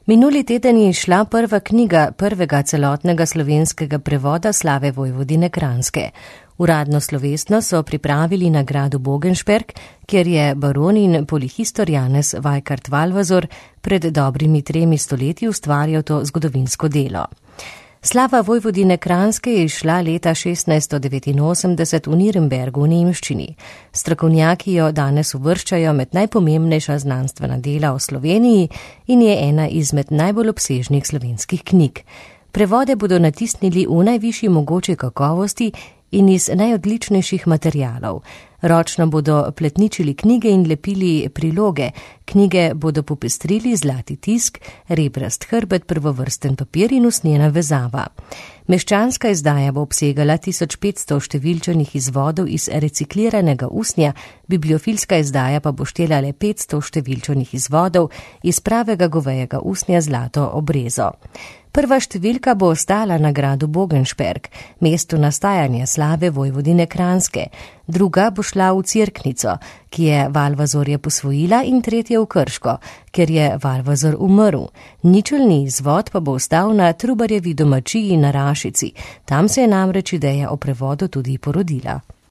Minuli teden je izšla prva knjiga prvega celotnega slovenskega prevoda Slave Vojvodine Kranjske. Uradno slovesno so pripravili na gradu Bogenšperk, kjer je baron in polihistor Janez Vajkard-Valvazor pred dobrimi 3 stoletji ustvarjal to zgodovinsko delo. Slava Vojvodine Kranjske je izšla leta 1689 v Nürnbergu v nemščini. Strokovnjaki jo danes uvrščajo med najpomembnejša znanstvena dela o Sloveniji in je ena izmed najbolj obsežnih slovenskih knjig. Prevode bodo natisnili v najvišji mogoči kakovosti in iz najodličnejših materialov. Ročno bodo pletničili knjige in lepili priloge. Knjige bodo popestrili zlati tisk, rebrast hrbet, prvovrsten papir in usnjena vezava. Meščanska izdaja bo obsegala 1500 številčanih izvodov iz recikliranega usnja, bibliofilska izdaja pa bo štela le 500 številčanih izvodov iz pravega govejega usnja zlato obrezo. Prva številka bo ostala na gradu Bogenšperk, mestu nastajanja Slave Vojvodine Kranjske. Druga bo šla v Cerknico, ki je Valvazorja posvojila, in tretja v Krško, ker je Valvazor umrl. Ničelni izvod pa bo ostal na Trubarjevi domačiji na Rašici. Tam se je namreč ideja o prevodu tudi porodila.